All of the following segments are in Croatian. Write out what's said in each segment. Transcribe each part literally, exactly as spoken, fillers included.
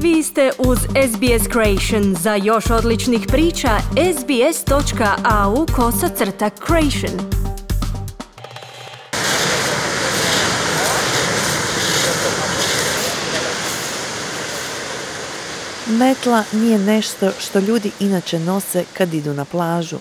Vi ste uz S B S Creation. Za još odličnih priča, sbs.au kosacrta creation. Metla nije nešto što ljudi inače nose kad idu na plažu.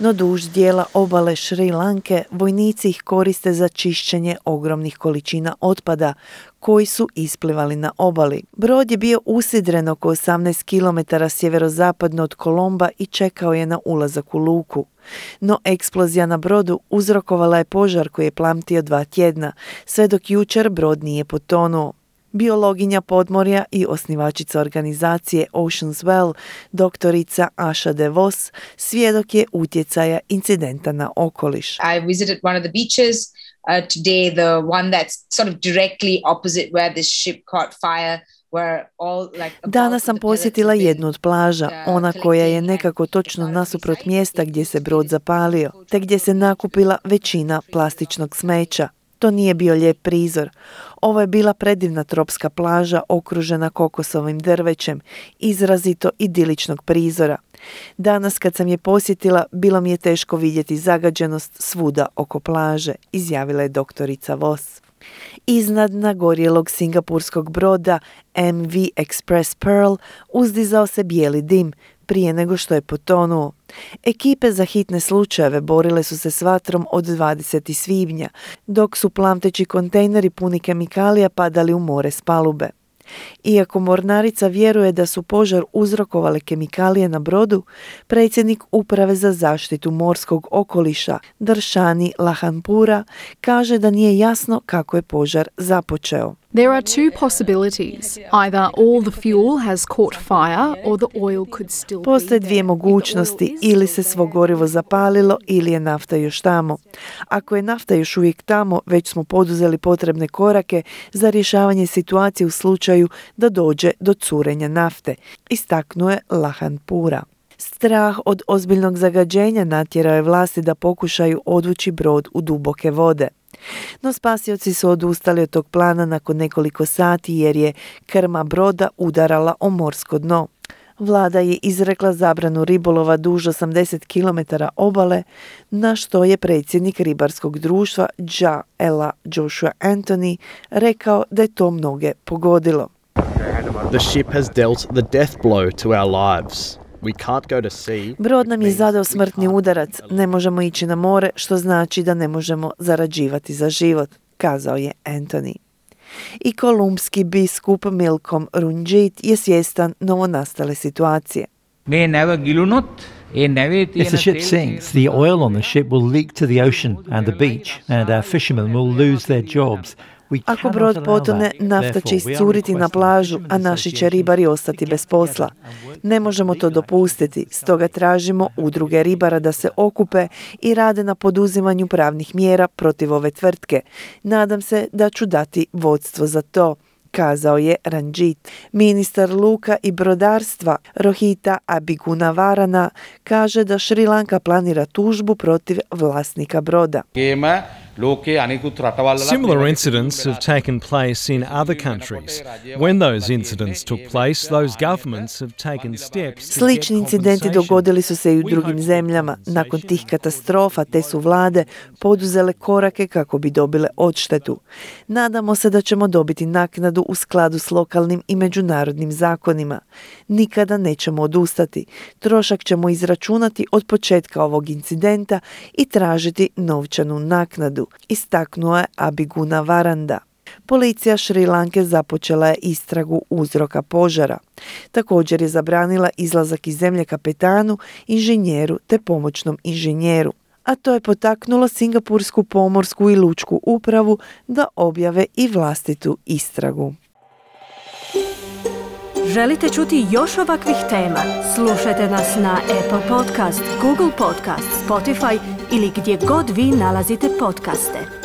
No duž dijela obale Šri Lanke vojnici ih koriste za čišćenje ogromnih količina otpada koji su isplivali na obali. Brod je bio usidren oko osamnaest kilometara sjeverozapadno od Kolomba i čekao je na ulazak u luku. No eksplozija na brodu uzrokovala je požar koji je plamtio dva tjedna, sve dok jučer brod nije potonuo. Biologinja podmorja i osnivačica organizacije Ocean's Well, doktorica Asha De Vos, svjedok je utjecaja incidenta na okoliš. I visited one of the beaches uh, today, the one that's sort of directly opposite where this ship caught fire. Danas sam posjetila jednu od plaža, ona koja je nekako točno nasuprot mjesta gdje se brod zapalio, te gdje se nakupila većina plastičnog smeća. To nije bio lijep prizor. Ovo je bila predivna tropska plaža okružena kokosovim drvećem, izrazito idiličnog prizora. Danas kad sam je posjetila, bilo mi je teško vidjeti zagađenost svuda oko plaže, izjavila je doktorica Vos. Iznad nagorjelog singapurskog broda M V Express Pearl uzdizao se bijeli dim prije nego što je potonuo. Ekipe za hitne slučajeve borile su se s vatrom od dvadesetog svibnja, dok su plamteći kontejneri puni kemikalija padali u more s palube. Iako mornarica vjeruje da su požar uzrokovale kemikalije na brodu, predsjednik Uprave za zaštitu morskog okoliša Darshani Lakhanpura kaže da nije jasno kako je požar započeo. There are two possibilities. Either all the fuel has caught fire or the oil could still be there. Postoje dvije mogućnosti, ili se svo gorivo zapalilo ili je nafta još tamo. Ako je nafta još uvijek tamo, već smo poduzeli potrebne korake za rješavanje situacije u slučaju da dođe do curenja nafte, istaknuo je Lakhanpura. Strah od ozbiljnog zagađenja natjerao je vlasti da pokušaju odvući brod u duboke vode. No spasioci su odustali od tog plana nakon nekoliko sati jer je krma broda udarala o morsko dno. Vlada je izrekla zabranu ribolova duž osamdeset kilometara obale, na što je predsjednik ribarskog društva Ja Ela Joshua Anthony rekao da je to mnoge pogodilo. The ship has dealt the death blow to our lives. Brod nam je zadao smrtni udarac, ne možemo ići na more, što znači da ne možemo zarađivati za život, kazao je Anthony. I kolumbski biskup Milkom Runjit je svjestan novonastale situacije. If the ship sinks, the oil on the ship will leak to the ocean and the beach, and our fishermen will lose their jobs. Ako brod potone, nafta će iscuriti na plažu, a naši će ribari ostati bez posla. Ne možemo to dopustiti, stoga tražimo udruge ribara da se okupe i rade na poduzimanju pravnih mjera protiv ove tvrtke. Nadam se da ću dati vodstvo za to, kazao je Ranjit. Ministar luka i brodarstva Rohita Abigunavarana kaže da Šri Lanka planira tužbu protiv vlasnika broda. Similar incidents have taken place in other countries. When those incidents took place, those governments have taken steps. Slični incidenti dogodili su se i u drugim zemljama. Nakon tih katastrofa te su vlade poduzele korake kako bi dobile odštetu. Nadamo se da ćemo dobiti naknadu u skladu s lokalnim i međunarodnim zakonima. Nikada nećemo odustati. Trošak ćemo izračunati od početka ovog incidenta i tražiti novčanu naknadu, istaknuo je Abigunavarana. Policija Šri Lanke započela je istragu uzroka požara. Također je zabranila izlazak iz zemlje kapetanu, inženjeru te pomoćnom inženjeru. A to je potaknulo Singapursku pomorsku i lučku upravu da objave i vlastitu istragu. Želite čuti još ovakvih tema? Slušajte nas na Apple Podcast, Google Podcast, Spotify ili gdje god vi nalazite podcaste.